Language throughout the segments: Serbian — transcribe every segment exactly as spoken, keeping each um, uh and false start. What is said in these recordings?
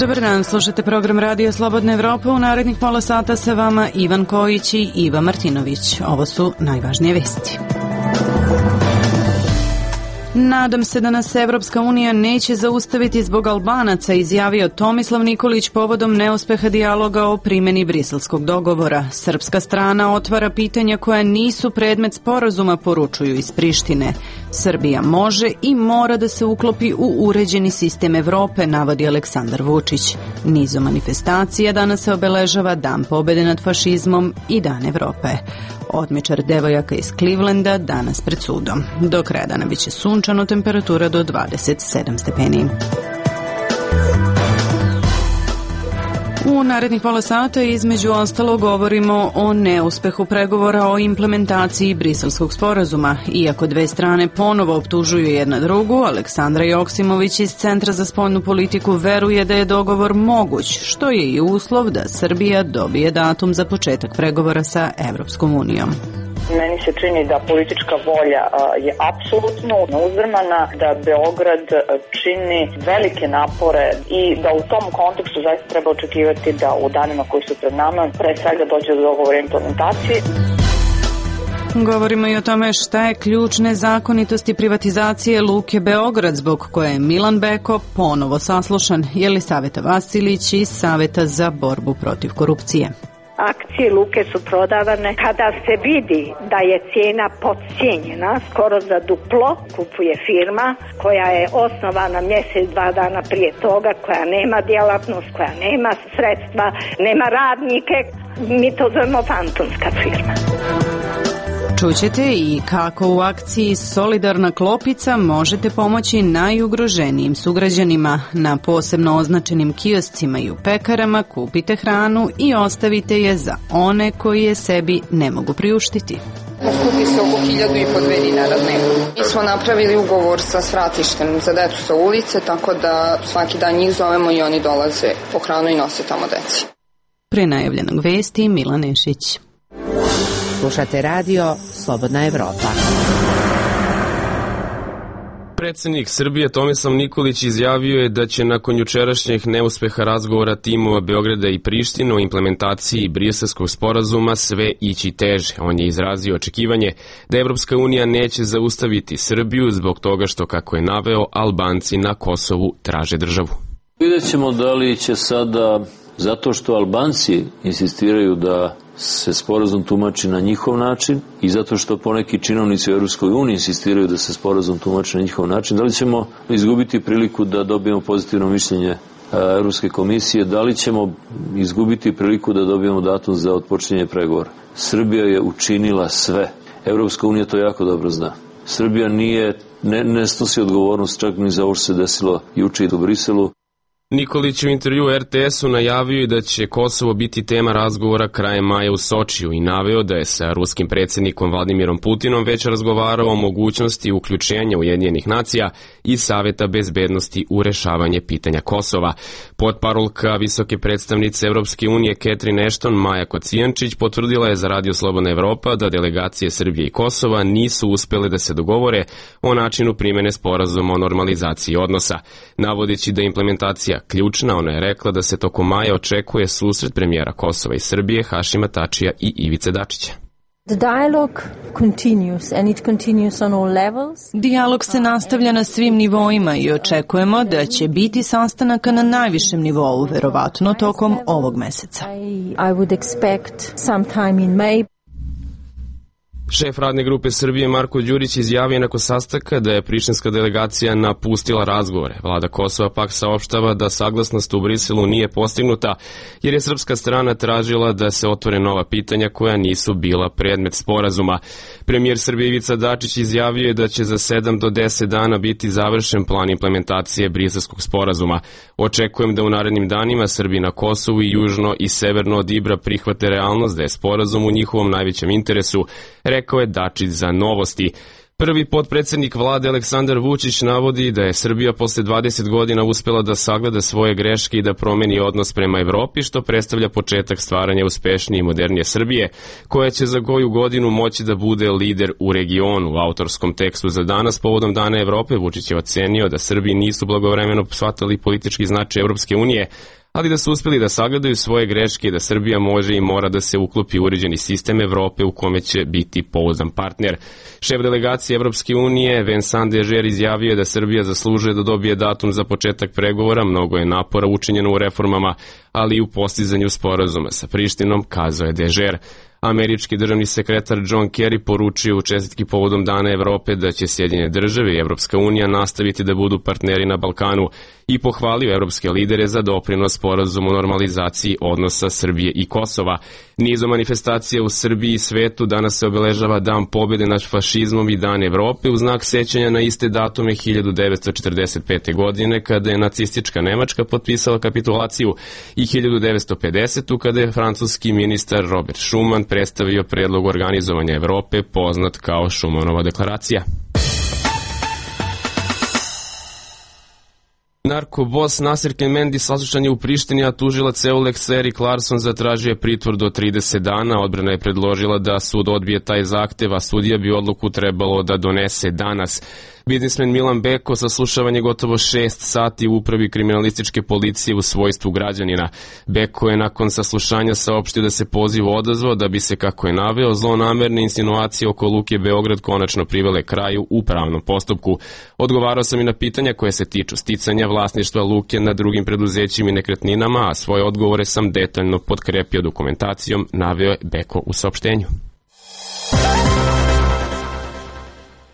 Dobar dan, slušate program Radio Slobodna Evropa. U narednih pola sata sa vama Ivan Kojić i Iva Martinović. Ovo su najvažnije vesti. Nadam se da nas Evropska unija neće zaustaviti zbog Albanaca, izjavio Tomislav Nikolić povodom neuspeha dijaloga o primjeni briselskog dogovora. Srpska strana otvara pitanja koja nisu predmet sporazuma, poručuju iz Prištine. Srbija može i mora da se uklopi u uređeni sistem Evrope, navodi Aleksandar Vučić. Nizom manifestacija danas se obeležava Dan pobede nad fašizmom i Dan Evrope. Odmičar devojaka iz Clevelanda danas pred sudom. Do kraja dana biće sunčano, temperatura do dvadeset sedam stepeni. U narednih pola sata između ostalo govorimo o neuspehu pregovora o implementaciji briselskog sporazuma. Iako dve strane ponovo optužuju jedna drugu, Aleksandra Joksimović iz Centra za spoljnu politiku veruje da je dogovor moguć, što je i uslov da Srbija dobije datum za početak pregovora sa Evropskom unijom. Meni se čini da politička volja je apsolutno neuzrmana, da Beograd čini velike napore i da u tom kontekstu zaista treba očekivati da u danima koji su pred nama pre svega dođe do dogovora implementacije. Govorimo i o tome šta je ključ nezakonitosti privatizacije Luke Beograd, zbog koje je Milan Beko ponovo saslušan, Jelisaveta Vasilić iz Saveta za borbu protiv korupcije. Akcije Luke su prodavane kada se vidi da je cijena podcijenjena, skoro za duplo. Kupuje firma koja je osnovana mjesec, dva dana prije toga, koja nema djelatnost, koja nema sredstva, nema radnike. Mi to zovemo fantomska firma. Čućete i kako u akciji Solidarna klopica možete pomoći najugroženijim sugrađanima. Na posebno označenim kioscima i u pekarama kupite hranu i ostavite je za one koji je sebi ne mogu priuštiti. Skupi se oko hiljadu i po dve dinara dnevno. Mi smo napravili ugovor sa svratištem za decu sa ulice, tako da svaki dan njih zovemo i oni dolaze po hranu i nose tamo deci. Pre najavljenog vesti Milan Nešić. Slušate radio Slobodna Evropa. Predsjednik Srbije Tomislav Nikolić izjavio je da će nakon jučerašnjeg neuspeha razgovora timova Beograda i Prištine o implementaciji briselskog sporazuma sve ići teže. On je izrazio očekivanje da Evropska unija neće zaustaviti Srbiju zbog toga što, kako je naveo, Albanci na Kosovu traže državu. Vidjet ćemo da li će sada, zato što Albanci insistiraju da se sporazum tumači na njihov način i zato što poneki činovnici u Europskoj uniji insistiraju da se sporazum tumači na njihov način, da li ćemo izgubiti priliku da dobijemo pozitivno mišljenje Europske komisije, da li ćemo izgubiti priliku da dobijemo datum za otpočinjanje pregovora. Srbija je učinila sve. Europska unija to jako dobro zna. Srbija nije, ne, ne snosi odgovornost čak ni za ovo što se desilo juče u Briselu. Nikolić u intervju er te esu najavio i da će Kosovo biti tema razgovora krajem maja u Sočiju i naveo da je sa ruskim predsjednikom Vladimirom Putinom već razgovarao o mogućnosti uključenja Ujedinjenih nacija i Saveta bezbednosti u rešavanje pitanja Kosova. Potparolka visoke predstavnice Evropske unije Catherine Ashton Maja Kocijančić potvrdila je za Radio Slobodna Evropa da delegacije Srbije i Kosova nisu uspele da se dogovore o načinu primjene sporazuma o normalizaciji odnosa. Navodeći da implementacija ključna, ona je rekla da se tokom maja očekuje susret premijera Kosova i Srbije Hašima Tačija i Ivice Dačića. Dijalog se nastavlja na svim nivoima i očekujemo da će biti sastanaka na najvišem nivou, verovatno tokom ovog meseca. Šef radne grupe Srbije Marko Đurić izjavio nakon sastanka da je prištinska delegacija napustila razgovore. Vlada Kosova pak saopštava da saglasnost u Briselu nije postignuta jer je srpska strana tražila da se otvore nova pitanja koja nisu bila predmet sporazuma. Premijer Srbije Ivica Dačić izjavio je da će za sedam do deset dana biti završen plan implementacije briselskog sporazuma. Očekujem da u narednim danima Srbi na Kosovu i južno i severno od Ibra prihvate realnost da je sporazum u njihovom najvećem interesu, rekao je Dačić za Novosti. Prvi potpredsednik vlade Aleksandar Vučić navodi da je Srbija posle dvadeset godina uspela da sagleda svoje greške i da promeni odnos prema Evropi, što predstavlja početak stvaranja uspešnije i modernije Srbije, koja će za koju godinu moći da bude lider u regionu. U autorskom tekstu za danas povodom Dana Evrope Vučić je ocenio da Srbiji nisu blagovremeno shvatali politički značaj Evropske unije, ali da su uspeli da sagledaju svoje greške i da Srbija može i mora da se uklopi u uređeni sistem Evrope u kome će biti pouzdan partner. Šef delegacije Evropske unije Vincent Dežer izjavio je da Srbija zaslužuje da dobije datum za početak pregovora, mnogo je napora učinjeno u reformama, ali i u postizanju sporazuma sa Prištinom, kazao je Dežer. Američki državni sekretar John Kerry poručio u čestitki povodom Dana Evrope da će Sjedinjene države i Evropska unija nastaviti da budu partneri na Balkanu i pohvalio evropske lidere za doprinos sporazumu o normalizaciji odnosa Srbije i Kosova. Nizom manifestacija u Srbiji i svetu danas se obeležava Dan pobjede nad fašizmom i Dan Evrope u znak sećanja na iste datume hiljadu devetsto četrdeset pete. godine kada je nacistička Nemačka potpisala kapitulaciju i hiljadu devetsto pedesete. kada je francuski ministar Robert Schuman predstavio predlog organizovanja Evrope poznat kao Schumanova deklaracija. Narkobos Nasir Kemendi saslušan je u Prištini, a tužilac Eulex Erik Larsson zatražio je pritvor do trideset dana. Odbrana je predložila da sud odbije taj zahtev, a sudija bi odluku trebalo da donese danas. Biznismen Milan Beko saslušavan je gotovo šest sati u upravi kriminalističke policije u svojstvu građanina. Beko je nakon saslušanja saopštio da se poziv odazvao da bi se, kako je naveo, zlonamerne insinuacije oko Luke Beograd konačno privele kraju u pravnom postupku. Odgovarao sam i na pitanja koje se tiču sticanja vlasništva Luke nad drugim preduzećima i nekretninama, a svoje odgovore sam detaljno potkrepio dokumentacijom, naveo je Beko u saopštenju.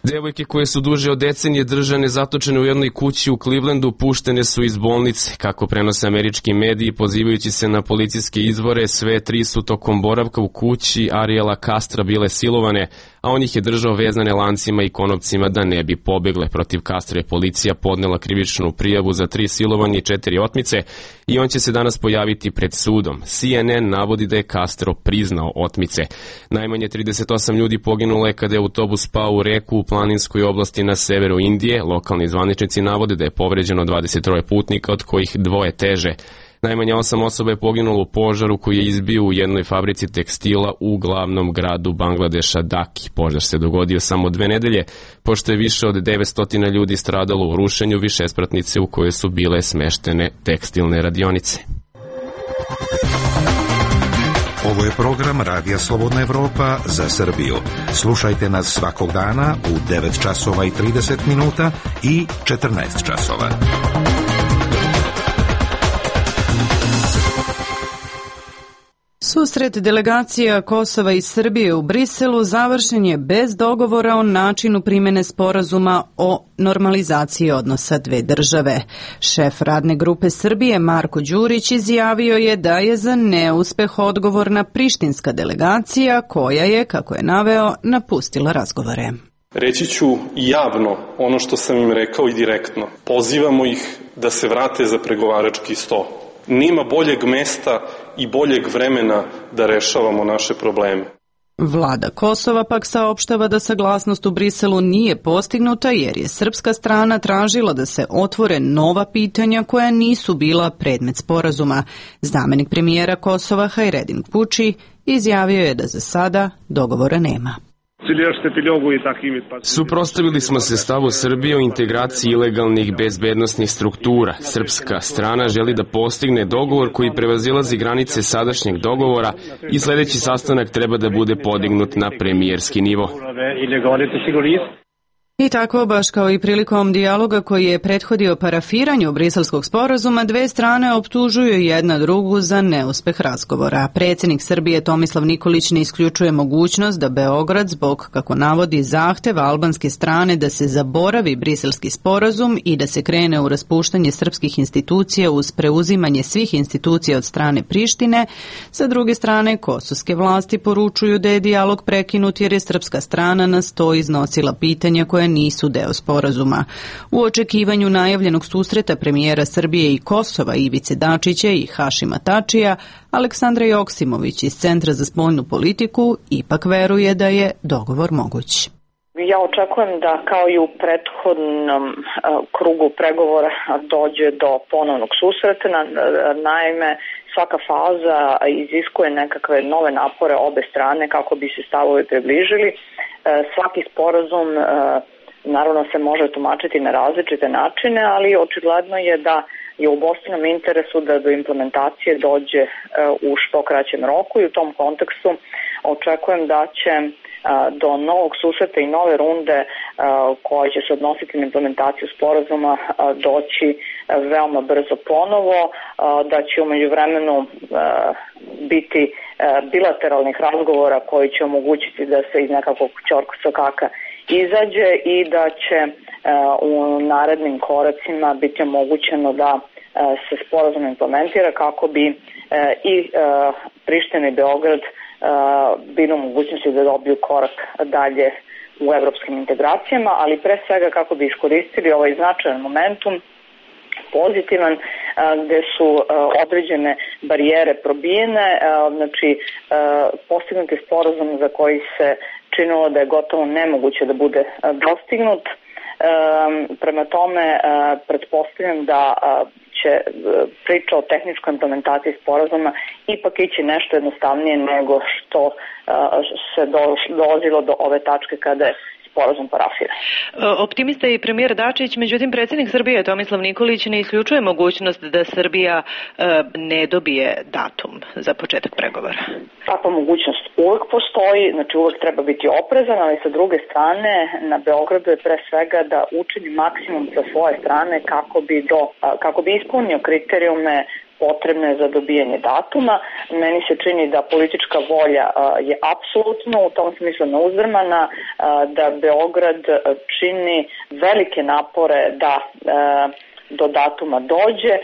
Devojke koje su duže od decenije držane zatočene u jednoj kući u Clevelandu puštene su iz bolnice. Kako prenose američki mediji, pozivajući se na policijske izvore, sve tri su tokom boravka u kući Ariela Castra bile silovane, a on ih je držao vezane lancima i konopcima da ne bi pobegle. Protiv Castra je policija podnela krivičnu prijavu za tri silovanje i četiri otmice i on će se danas pojaviti pred sudom. C N N navodi da je Castro priznao otmice. Najmanje trideset osam ljudi poginulo je kada je autobus pao u reku u planinskoj oblasti na severu Indije. Lokalni zvaničnici navode da je povređeno dvadeset troje putnika, od kojih dvoje teže. Najmanje osam osoba je poginulo u požaru koji je izbio u jednoj fabrici tekstila u glavnom gradu Bangladeša, Daki. Požar se dogodio samo dve nedelje, pošto je više od devetsto ljudi stradalo u rušenju višespratnice u kojoj su bile smeštene tekstilne radionice. Ovo je program Radija Slobodna Evropa za Srbiju. Slušajte nas svakog dana u devet časova i trideset minuta i četrnaest časova. Susret delegacija Kosova i Srbije u Briselu završen je bez dogovora o načinu primene sporazuma o normalizaciji odnosa dve države. Šef radne grupe Srbije Marko Đurić izjavio je da je za neuspeh odgovorna prištinska delegacija koja je, kako je naveo, napustila razgovore. Reći ću javno ono što sam im rekao i direktno. Pozivamo ih da se vrate za pregovarački sto. Nema boljeg mesta i boljeg vremena da rešavamo naše probleme. Vlada Kosova pak saopštava da saglasnost u Briselu nije postignuta jer je srpska strana tražila da se otvore nova pitanja koja nisu bila predmet sporazuma. Zamenik premijera Kosova Hajredin Kuči izjavio je da za sada dogovora nema. Suprotstavili smo se stavu Srbije o integraciji ilegalnih bezbednosnih struktura. Srpska strana želi da postigne dogovor koji prevazilazi granice sadašnjeg dogovora i sledeći sastanak treba da bude podignut na premijerski nivo. I tako, baš kao i prilikom dijaloga koji je prethodio parafiranju briselskog sporazuma, dve strane optužuju jedna drugu za neuspeh razgovora. Predsjednik Srbije Tomislav Nikolić ne isključuje mogućnost da Beograd, zbog, kako navodi, zahteva albanske strane da se zaboravi briselski sporazum i da se krene u raspuštanje srpskih institucija uz preuzimanje svih institucija od strane Prištine. Sa druge strane, kosovske vlasti poručuju da je dijalog prekinut jer je srpska strana na sto iznosila pitanja koje nisu deo sporazuma. U očekivanju najavljenog susreta premijera Srbije i Kosova Ivice Dačića i Hašima Tačija, Aleksandra Joksimović iz Centra za spoljnu politiku ipak veruje da je dogovor moguć. Ja očekujem da kao i u prethodnom krugu pregovora dođe do ponovnog susreta. Naime, svaka faza iziskuje nekakve nove napore obe strane kako bi se stavovi približili. Svaki sporazum naravno se može tumačiti na različite načine, ali očigledno je da je u obostranom interesu da do implementacije dođe u što kraćem roku i u tom kontekstu očekujem da će do novog susreta i nove runde koja će se odnositi na implementaciju sporazuma doći veoma brzo ponovo, da će umeđu vremenu biti bilateralnih razgovora koji će omogućiti da se iz nekakvog ćorkosokaka izađe i da će u narednim koracima biti omogućeno da se sporazum implementira kako bi i Priština i Beograd bili u mogućnosti da dobiju korak dalje u evropskim integracijama, ali pre svega kako bi iskoristili ovaj značajan momentum pozitivan, gde su određene barijere probijene, znači postignut je sporazum za koji se činilo da je gotovo nemoguće da bude dostignut. Prema tome, pretpostavljam da će priča o tehničkoj implementaciji sporazuma ipak ići nešto jednostavnije nego što se dolazilo do ove tačke kada je sporazum parafiran. Optimista je i premijer Dačić, međutim predsjednik Srbije Tomislav Nikolić ne isključuje mogućnost da Srbija ne dobije datum za početak pregovora. Takva mogućnost uvek postoji, znači uvek treba biti oprezan, ali sa druge strane na Beogradu je pre svega da učini maksimum sa svoje strane kako bi, do, kako bi ispunio kriterijume potrebne za dobijanje datuma. Meni se čini da politička volja je apsolutno u tom smislu neuzdrmana, da Beograd čini velike napore da do datuma dođe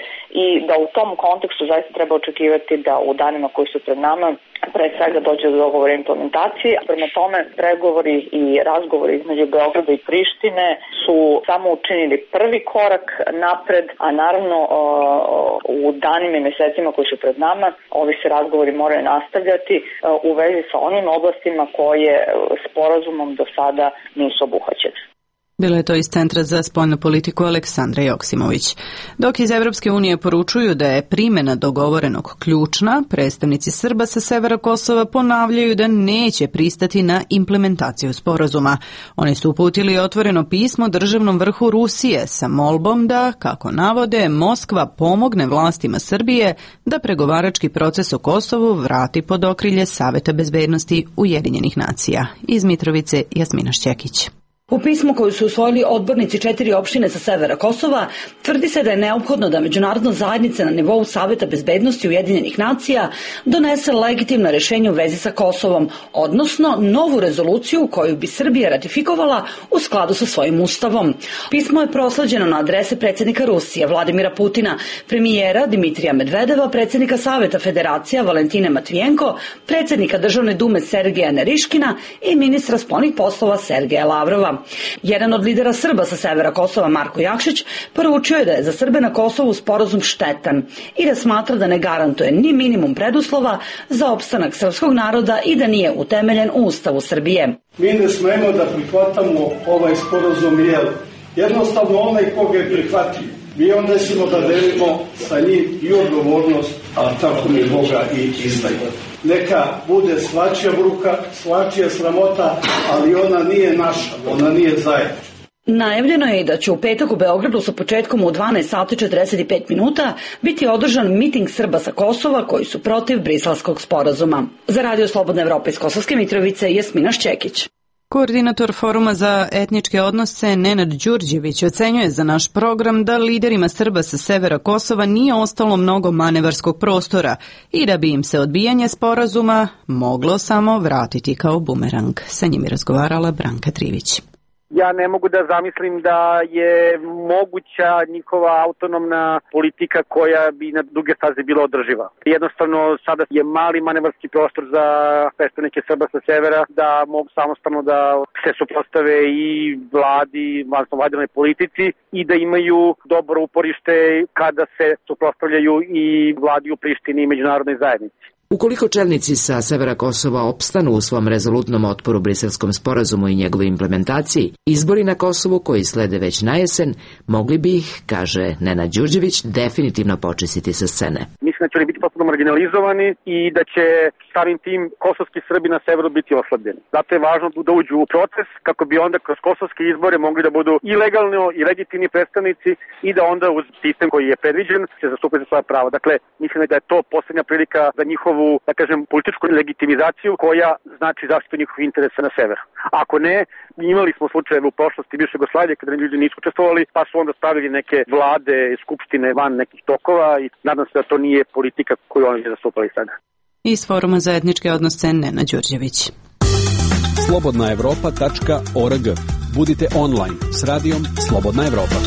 i da u tom kontekstu zaista treba očekivati da u danima koji su pred nama pre svega dođe do dogovora implementacije. Prema tome, pregovori i razgovori između Beograda i Prištine su samo učinili prvi korak napred, a naravno u danima i mesecima koji su pred nama ovi se razgovori moraju nastavljati u vezi sa onim oblastima koje sporazumom do sada nisu obuhvaćene. Bilo je to iz Centra za spoljnu politiku Aleksandra Joksimović. Dok iz Evropske unije poručuju da je primjena dogovorenog ključna, predstavnici Srba sa severa Kosova ponavljaju da neće pristati na implementaciju sporazuma. Oni su uputili otvoreno pismo državnom vrhu Rusije sa molbom da, kako navode, Moskva pomogne vlastima Srbije da pregovarački proces o Kosovu vrati pod okrilje Saveta bezbednosti Ujedinjenih nacija. Iz Mitrovice Jasmina Šćekić. U pismu koju su usvojili odbornici četiri opštine sa severa Kosova tvrdi se da je neophodno da međunarodna zajednica na nivou Saveta bezbednosti Ujedinjenih nacija donese legitimno rešenje u vezi sa Kosovom, odnosno novu rezoluciju koju bi Srbija ratifikovala u skladu sa svojim ustavom. Pismo je prosleđeno na adrese predsjednika Rusije Vladimira Putina, premijera Dimitrija Medvedeva, predsjednika Saveta Federacija Valentine Matvijenko, predsjednika Državne dume Sergeja Neriškina i ministra spoljnih poslova Sergeja Lavrova. Jedan od lidera Srba sa severa Kosova, Marko Jakšić, poručio je da je za Srbe na Kosovu sporazum štetan i da smatra da ne garantuje ni minimum preduslova za opstanak srpskog naroda i da nije utemeljen u Ustavu Srbije. Mi ne smemo da prihvatamo ovaj sporazum jer jednostavno onaj koga je prihvatio, mi onda ćemo da delimo sa njim i odgovornost, a tako mi Boga i izdaju. Neka bude svačija bruka, svačija sramota, ali ona nije naša, ona nije zajednička. Najavljeno je i da će u petak u Beogradu sa početkom u dvanaest sati i četrdeset pet minuta biti održan miting Srba sa Kosova koji su protiv Briselskog sporazuma. Za Radio Slobodna Evropa iz Kosovske Mitrovice Jasmina Šćekić. Koordinator Foruma za etničke odnose Nenad Đurđević ocenjuje za naš program da liderima Srba sa severa Kosova nije ostalo mnogo manevarskog prostora i da bi im se odbijanje sporazuma moglo samo vratiti kao bumerang. Sa njim je razgovarala Branka Trivić. Ja ne mogu da zamislim da je moguća njihova autonomna politika koja bi na duge staze bila održiva. Jednostavno sada je mali manevarski prostor za predstavnike Srba sa severa da mogu samostalno da se suprotstave i vladi, odnosno vladinoj politici i da imaju dobro uporište kada se suprotstavljaju i vladi u Prištini i međunarodnoj zajednici. Ukoliko čelnici sa severa Kosova opstanu u svom rezolutnom otporu briselskom sporazumu i njegovoj implementaciji, izbori na Kosovu koji slede već na jesen mogli bi ih, kaže Nenad Đurđević, definitivno počistiti sa scene. Mislim da će oni biti potpuno marginalizovani i da će samim tim kosovski Srbi na severu biti oslabljeni. Zato je važno da uđu u proces kako bi onda kroz kosovske izbore mogli da budu i legalno i legitimni predstavnici i da onda uz sistem koji je predviđen se zastupaju svoja prava. Dakle, mislim da je to poslednja prilika za njihovu, da kažem, političku legitimizaciju koja znači zaštitu njihovih interesa na severu. Ako ne, imali smo slučajeve u prošlosti bivše Jugoslavije kada ljudi nisu učestvovali, pa su onda stavili neke vlade, skupštine van nekih tokova i nadam se da to nije politika koju oni zastupali sada. Iz Foruma za etničke odnose Nenad Đurđević. slobodna evropa tačka org. Budite online s radijom Slobodna Evropa.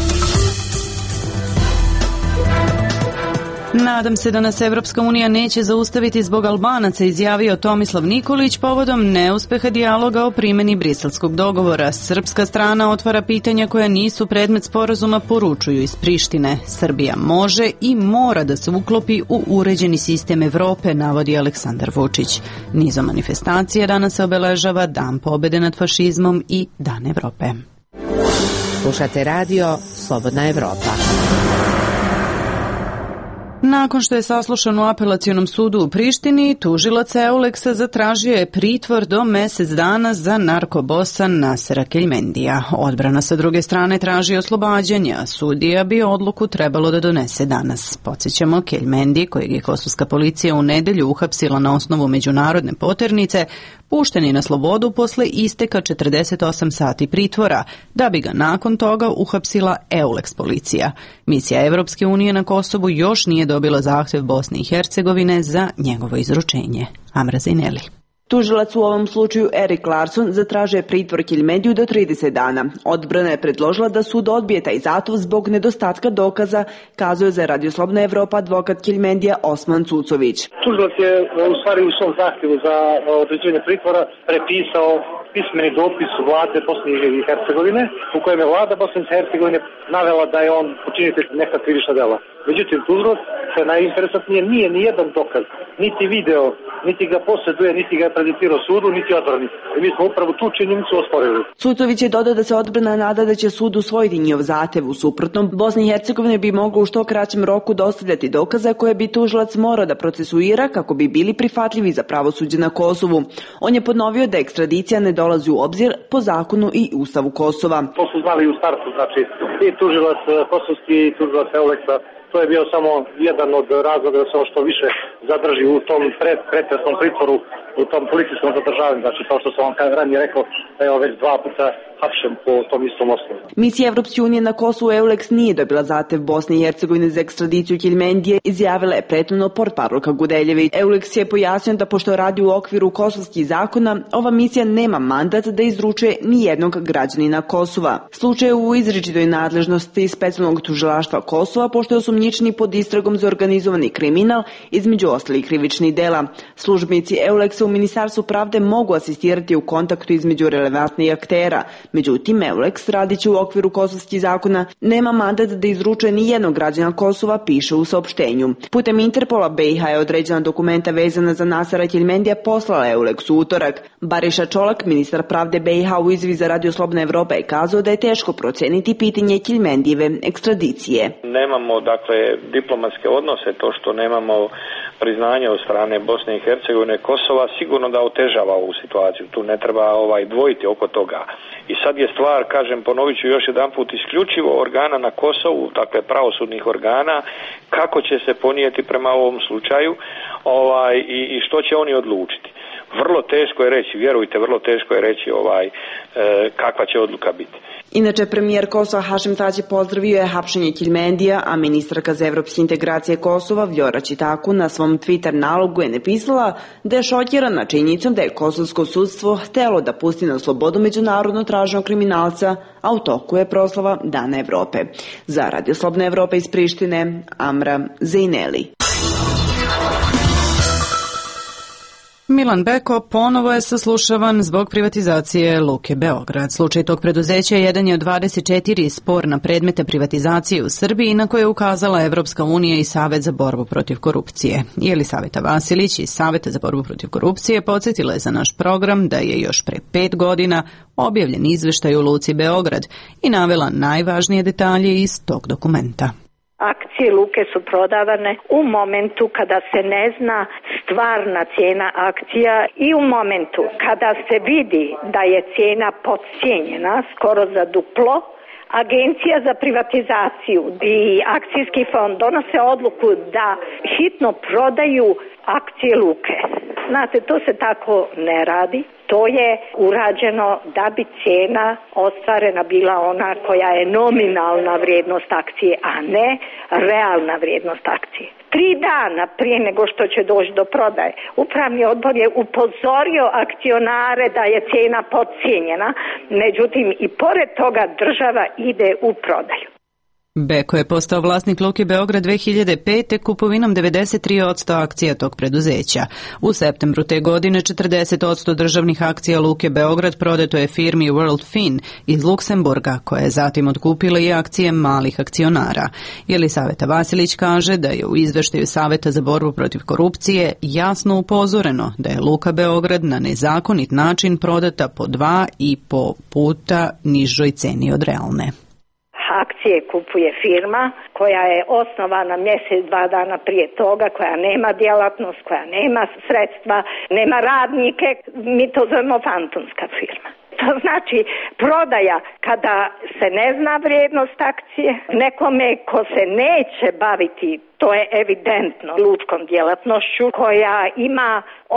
Nadam se da nas Evropska unija neće zaustaviti zbog Albanaca, izjavio Tomislav Nikolić povodom neuspeha dijaloga o primjeni briselskog dogovora. Srpska strana otvara pitanja koja nisu predmet sporazuma, poručuju iz Prištine. Srbija može i mora da se uklopi u uređeni sistem Evrope, navodi Aleksandar Vučić. Nizom manifestacija danas se obeležava Dan pobede nad fašizmom i Dan Evrope. Slušate radio Slobodna Evropa. Nakon što je saslušan u apelacionom sudu u Prištini, tužilac Euleksa zatražio je pritvor do mesec dana za narkobosa Nasera Keljmendija. Odbrana sa druge strane traži oslobađanje, a sudija bi odluku trebalo da donese danas. Podsjećamo, Keljmendi, kojeg je kosovska policija u nedelju uhapsila na osnovu međunarodne poternice, pušten je na slobodu posle isteka četrdeset osam sati pritvora, da bi ga nakon toga uhapsila Euleks policija. Misija Evropske unije na Kosovu još nije dobila zahtev Bosne i Hercegovine za njegovo izručenje. Amra Zajneli. Tužilac u ovom slučaju Erik Larsson zatražuje pritvor Keljmendiju do trideset dana. Odbrana je predložila da sud odbije taj zahtjev zbog nedostatka dokaza, kazuje za Radio Slobodna Evropa advokat Keljmendija Osman Cucović. Tužilac je u stvari u svom zahtjevu za određivanje pritvora prepisao pismeni dopis vlade Bosne i Hercegovine u kojem je vlada Bosne i Hercegovine navela da je on počinitelj neka krivična dela. Međutim, tužilac se najinteresantnije nije ni jedan dokaz, niti video, niti ga posjeduje, niti ga je prezentirao sudu, niti odbrani. I mi smo upravo tu činjenicu osporili. Cucović je dodao da se odbrana nada da će sud usvojiti njihov zahtev. U suprotnom, Bosna i Hercegovina bi mogla u što kraćem roku dostavljati dokaze koje bi tužilac morao da procesuira kako bi bili prihvatljivi za pravosuđe na Kosovu. On je ponovio da ekstradicija ne dolazi u obzir po zakonu i ustavu Kosova. To su znali u startu, znači i tužilac kosovski i tužilac Euleksa. To je bio samo jedan od razloga da se ono što više zadrži u tom pred, pretresnom pritvoru, u tom policijskom zadržavanju. Znači, kao što sam vam ranije rekao, da je već dva puta hapšen po tom istom osnovu. Misija Evropske unije na Kosovu Euleks nije dobila zahtev Bosne i Hercegovine za ekstradiciju Keljmendije, izjavila je prethodno portparolka Gudeljević. Euleks je pojasnio da pošto radi u okviru kosovskih zakona, ova misija nema mandat da izručuje ni jednog građanina Kosova. Slučaj je u izričitoj nadležnosti specijalnog tužilaštva Kosova, pošto je osumnjičeni pod istragom za organizovani kriminal, između ostalih krivičnih dela. Službenici Euleksa u Ministarstvu pravde mogu asistirati u kontaktu između relevantnih aktera. Međutim, Euleks, radići u okviru kosovskih zakona, nema mandat da izručuje ni jednog građana Kosova, piše u saopštenju. Putem Interpola B i H je određena dokumenta vezana za Nasera Keljmendija poslala Euleks u utorak. Bariša Čolak, ministar pravde B i H u izjavi za Radio Slobodna Evropa, je kazao da je teško proceniti pitanje Keljmendijeve ekstradicije. Nemamo, dakle, diplomatske odnose, to što nemamo priznanje od strane Bosne i Hercegovine, Kosova, sigurno da otežava ovu situaciju. Tu ne treba ovaj dvojiti oko toga. I sad je stvar, kažem, ponovit ću još jedan put, isključivo organa na Kosovu, dakle pravosudnih organa, kako će se ponijeti prema ovom slučaju ovaj, i, i što će oni odlučiti. Vrlo teško je reći, vjerujte, vrlo teško je reći ovaj, e, kakva će odluka biti. Inače, premijer Kosova Hašim Tači pozdravio je hapšenje Keljmendija, a ministarka za evropske integracije Kosova Vljora Čitaku na svom Twitter nalogu je napisala da je šokirana činjenicom da je kosovsko sudstvo htelo da pusti na slobodu međunarodno traženog kriminalca, a u toku je proslava Dana Evrope. Za Radio Slobodna Evropa iz Prištine, Amra Zajneli. Milan Beko ponovo je saslušavan zbog privatizacije Luke Beograd. Slučaj tog preduzeća jedan je od dvadeset četiri sporna predmeta privatizacije u Srbiji na koje je ukazala Evropska unija i Savet za borbu protiv korupcije. Jelisaveta Vasilić iz Saveta za borbu protiv korupcije podsjetila je za naš program da je još pre pet godina objavljen izveštaj u Luci Beograd i navela najvažnije detalje iz tog dokumenta. Akcije Luke su prodavane u momentu kada se ne zna stvarna cijena akcija i u momentu kada se vidi da je cijena podcijenjena skoro za duplo. Agencija za privatizaciju i akcijski fond donose odluku da hitno prodaju akcije Luke. Znate, to se tako ne radi. To je urađeno da bi cijena ostvarena bila ona koja je nominalna vrijednost akcije, a ne realna vrijednost akcije. Tri dana prije nego što će doći do prodaje, upravni odbor je upozorio akcionare da je cijena podcijenjena, međutim i pored toga država ide u prodaju. Beko je postao vlasnik Luke Beograd dve hiljade pete kupovinom devedeset tri posto akcija tog preduzeća. U septembru te godine četrdeset posto državnih akcija Luke Beograd prodato je firmi World Fin iz Luksemburga, koja je zatim otkupila i akcije malih akcionara. Jelisaveta Vasilić kaže da je u izveštaju Saveta za borbu protiv korupcije jasno upozoreno da je Luka Beograd na nezakonit način prodata po dva i po puta nižoj ceni od realne. Akcije kupuje firma koja je osnovana mjesec, dva dana prije toga, koja nema djelatnost, koja nema sredstva, nema radnike, mi to zovemo fantomska firma. To znači prodaja kada se ne zna vrijednost akcije, nekome ko se neće baviti, to je evidentno, lučkom djelatnošću, koja ima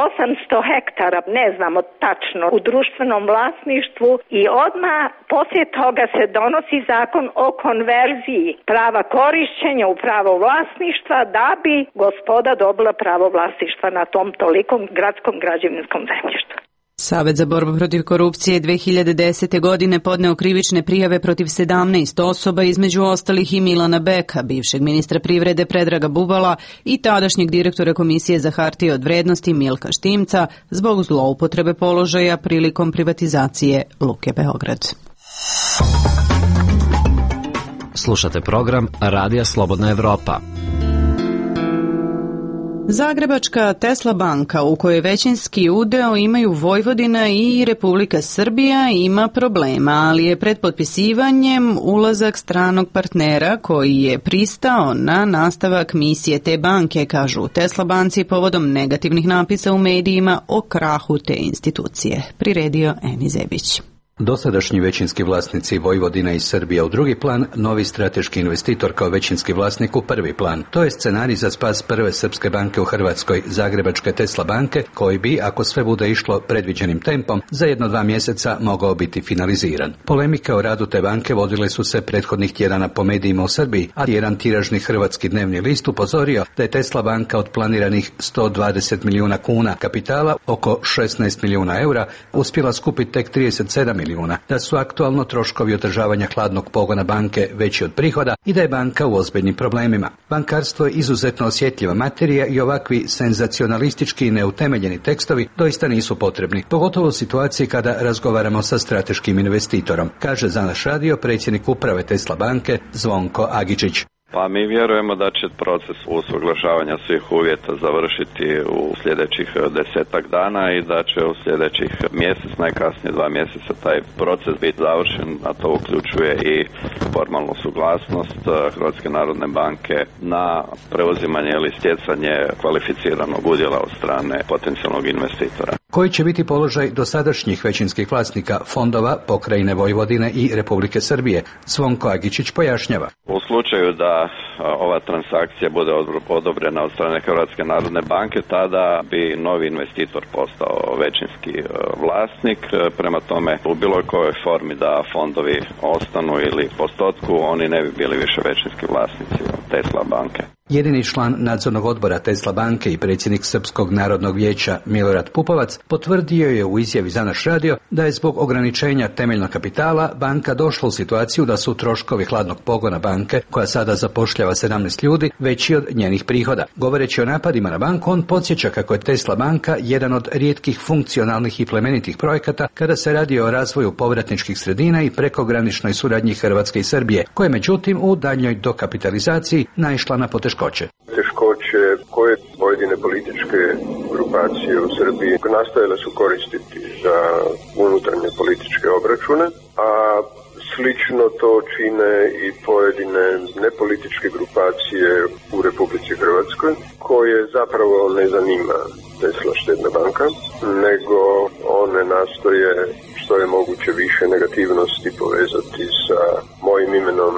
osamsto hektara, ne znamo tačno, u društvenom vlasništvu i odmah poslije toga se donosi zakon o konverziji prava korišćenja u pravo vlasništva da bi gospoda dobila pravo vlasništva na tom tolikom gradskom građevinskom zemljištu. Savet za borbu protiv korupcije dve hiljade desete. godine podneo krivične prijave protiv sedamnaest osoba, između ostalih i Milana Beka, bivšeg ministra privrede Predraga Bubala i tadašnjeg direktora Komisije za hartije od vrednosti Milka Štimca zbog zloupotrebe položaja prilikom privatizacije Luke Beograd. Slušate program Radija Slobodna Evropa. Zagrebačka Tesla banka, u kojoj većinski udeo imaju Vojvodina i Republika Srbija, ima problema, ali je pred potpisivanjem ulazak stranog partnera koji je pristao na nastavak misije te banke, kažu u Tesla banci povodom negativnih napisa u medijima o krahu te institucije. Priredio Eni Zebić. Dosadašnji većinski vlasnici Vojvodina i Srbija u drugi plan, novi strateški investitor kao većinski vlasnik u prvi plan. To je scenarij za spas prve srpske banke u Hrvatskoj, Zagrebačke Tesla banke, koji bi, ako sve bude išlo predviđenim tempom, za jedno dva mjeseca mogao biti finaliziran. Polemike o radu te banke vodile su se prethodnih tjedana po medijima u Srbiji, a jedan tiražni hrvatski dnevni list upozorio da je Tesla banka od planiranih sto dvadeset milijuna kuna kapitala, oko šesnaest milijuna eura, uspjela skupiti tek trideset sedam milijuna, da su aktualno troškovi održavanja hladnog pogona banke veći od prihoda i da je banka u ozbiljnim problemima. Bankarstvo je izuzetno osjetljiva materija i ovakvi senzacionalistički i neutemeljeni tekstovi doista nisu potrebni, pogotovo u situaciji kada razgovaramo sa strateškim investitorom, kaže za naš radio predsjednik uprave Tesla banke Zvonko Agičić. Pa mi vjerujemo da će proces usuglašavanja svih uvjeta završiti u sljedećih desetak dana i da će u sljedećih mjesec, najkasnije dva mjeseca, taj proces biti završen, a to uključuje i formalnu suglasnost Hrvatske narodne banke na preuzimanje ili stjecanje kvalificiranog udjela od strane potencijalnog investitora. Koji će biti položaj dosadašnjih većinskih vlasnika fondova, pokrajine Vojvodine i Republike Srbije? Zvonko Agičić pojašnjava. U slučaju da ova transakcija bude odobrena od strane Hrvatske narodne banke, tada bi novi investitor postao većinski vlasnik. Prema tome, u bilo kojoj formi da fondovi ostanu ili postotku, oni ne bi bili više većinski vlasnici Tesla banke. Jedini član nadzornog odbora Tesla banke i predsjednik Srpskog narodnog vijeća Milorad Pupovac potvrdio je u izjavi za naš radio da je zbog ograničenja temeljnog kapitala banka došla u situaciju da su troškovi hladnog pogona banke, koja sada zapošljava sedamnaest ljudi, veći od njenih prihoda. Govoreći o napadima na banku, on podsjeća kako je Tesla banka jedan od rijetkih funkcionalnih i plemenitih projekata kada se radi o razvoju povratničkih sredina i prekograničnoj suradnji Hrvatske i Srbije, koje međutim u daljnjoj dokapitalizaciji naišla na poteškoće. Teškoće koje pojedine političke grupacije u Srbiji nastojale su koristiti za unutarnje političke obračune, a slično to čine i pojedine nepolitičke grupacije u Republici Hrvatskoj, koje zapravo ne zanima Tesla štedna banka, nego one nastoje što je moguće više negativnosti povezati sa mojim imenom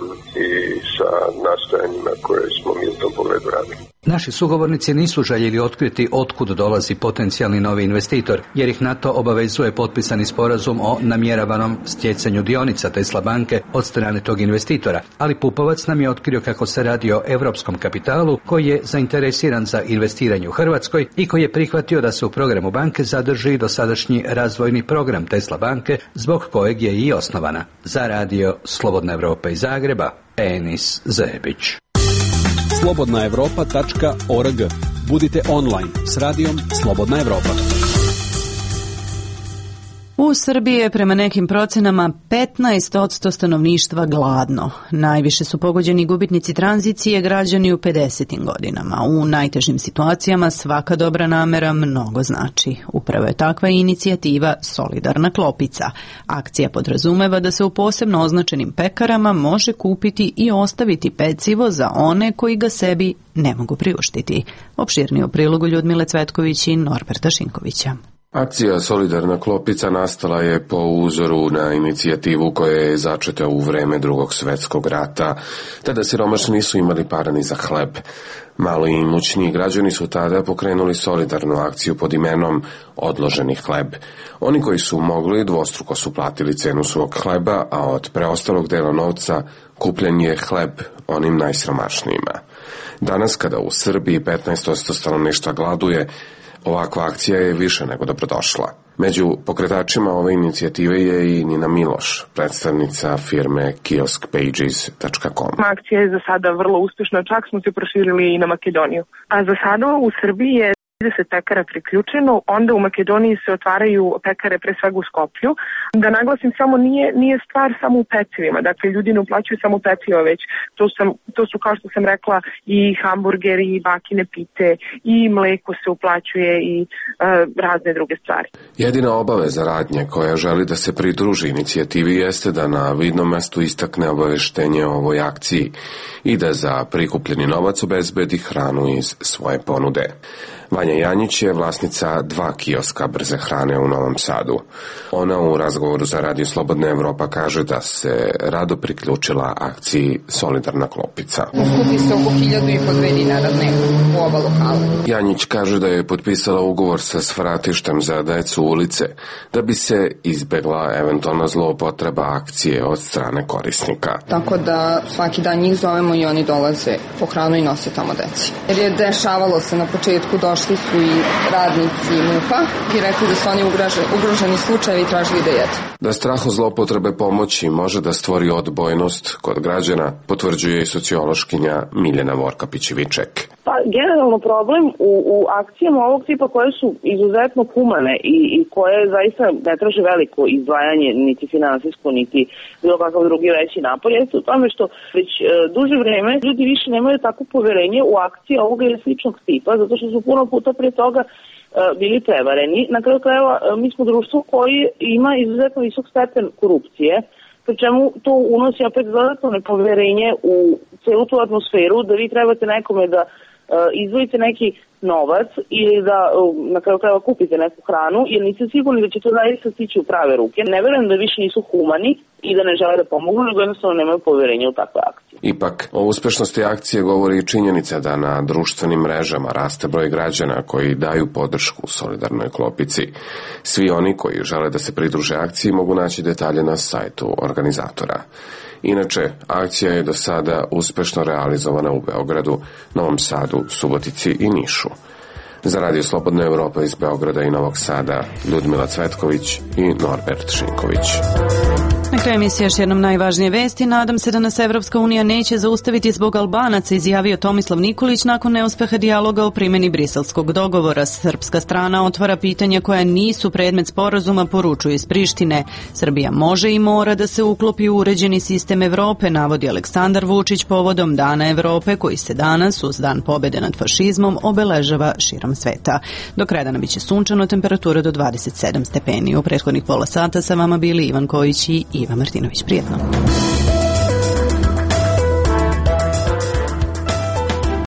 i sa nastojanjima koje smo mi u tom pogledu radili. Naši sugovornici nisu željeli otkriti otkud dolazi potencijalni novi investitor, jer ih na to obavezuje potpisani sporazum o namjeravanom stjecanju dionica Tesla banke od strane tog investitora, ali Pupovac nam je otkrio kako se radi o europskom kapitalu koji je zainteresiran za investiranje u Hrvatskoj i koji je prihvatio da se u programu banke zadrži dosadašnji razvojni program Tesla banke, zbog kojeg je i osnovana. Za radio Slobodna Evropa iz Zagreba, Enis Zebić. slobodna evropa tačka org. Budite online s radijom Slobodna Evropa. U Srbiji je prema nekim procenama petnaest posto stanovništva gladno. Najviše su pogođeni gubitnici tranzicije, građani u pedesetim godinama. U najtežim situacijama svaka dobra namera mnogo znači. Upravo je takva inicijativa Solidarna klopica. Akcija podrazumeva da se u posebno označenim pekarama može kupiti i ostaviti pecivo za one koji ga sebi ne mogu priuštiti. Opširnije u prilogu Ljudmile Cvetković i Norberta Šinkovića. Akcija Solidarna klopica nastala je po uzoru na inicijativu koja je začeta u vreme Drugog svjetskog rata. Tada siromašni nisu imali para ni za hleb. Mali i imućniji građani su tada pokrenuli solidarnu akciju pod imenom Odloženi hleb. Oni koji su mogli dvostruko su platili cenu svog hleba, a od preostalog dela novca kupljen je hleb onim najsiromašnijima. Danas kada u Srbiji petnaest posto stanovništva gladuje, ovakva akcija je više nego dobrodošla. Među pokretačima ove inicijative je i Nina Miloš, predstavnica firme kiosk pages tačka com. Akcija je za sada vrlo uspješna, čak smo se proširili i na Makedoniju. A za sada u Srbiji je trideset pekara priključeno, onda u Makedoniji se otvaraju pekare pre svega u Skoplju. Da naglasim, samo nije, nije stvar samo u pecivima, dakle ljudi ne uplaćuju samo peciva, već to, sam, to su, kao što sam rekla, i hamburgeri, i bakine pite, i mleko se uplaćuje, i e, razne druge stvari. Jedina obaveza radnje koja želi da se pridruži inicijativi jeste da na vidnom mestu istakne obaveštenje o ovoj akciji i da za prikupljeni novac obezbedi hranu iz svoje ponude. Vanja Janjić je vlasnica dva kioska brze hrane u Novom Sadu. Ona u razgovoru za Radio Slobodna Evropa kaže da se rado priključila akciji Solidarna klopica. Skupi se oko hiljadu i po dve dinara dnevno u oba lokala. Janjić kaže da je potpisala ugovor sa svratištem za decu ulice da bi se izbegla eventualna zloupotreba akcije od strane korisnika. Tako da svaki dan njih zovemo i oni dolaze po hranu i nose tamo deci. Jer je dešavalo se na početku, došli su i radnici MUP-a i rekli da su oni ugroženi, ugroženi slučajevi i tražili da jedu. Da strah od zloupotrebe pomoći može da stvori odbojnost kod građana, potvrđuje i sociološkinja Miljana Vorkapić-Viček. Pa generalno problem u, u akcijama ovog tipa koje su izuzetno humane i, i koje zaista ne traže veliko izdvajanje, niti finansijsko, niti bilo kakav drugi veći napor, jeste u tome što već e, duže vreme ljudi više nemaju tako poverenje u akcije ovoga ili sličnog tipa, zato što su puno puta pre toga e, bili prevareni. Na kraju krajeva e, mi smo društvo koji ima izuzetno visok stepen korupcije, pri čemu to unosi opet dodatno nepoverenje u celu tu atmosferu, da vi trebate nekome da izdvojite neki novac ili da na kraju krajeva kupite neku hranu, jer niste sigurni da će to zaista stići u prave ruke. Ne verujem da više nisu humani i da ne žele da pomogu, nego jednostavno nemaju poverenja u takve akcije. Ipak, o uspešnosti akcije govori i činjenica da na društvenim mrežama raste broj građana koji daju podršku Solidarnoj klopici. Svi oni koji žele da se pridruže akciji mogu naći detalje na sajtu organizatora. Inače, akcija je do sada uspešno realizovana u Beogradu, Novom Sadu, Subotici i Nišu. Za Radio Slobodna Evropa iz Beograda i Novog Sada, Ljudmila Cvetković i Norbert Šinković. Na kraju emisije još jednom najvažnije vesti. Nadam se da nas Evropska unija neće zaustaviti zbog Albanaca, izjavio Tomislav Nikolić nakon neuspeha dijaloga o primjeni briselskog dogovora. Srpska strana otvara pitanja koja nisu predmet sporazuma, poručuju iz Prištine. Srbija može i mora da se uklopi u uređeni sistem Evrope, navodi Aleksandar Vučić povodom Dana Evrope, koji se danas, uz dan pobede nad fašizmom, obeležava širom sveta. Do kraja dana biće sunčano, temperatura do dvadeset sedam stepeni. U prethodnih pola sata sa vama bili Ivan Kojić i Iva Martinović. Prijetno.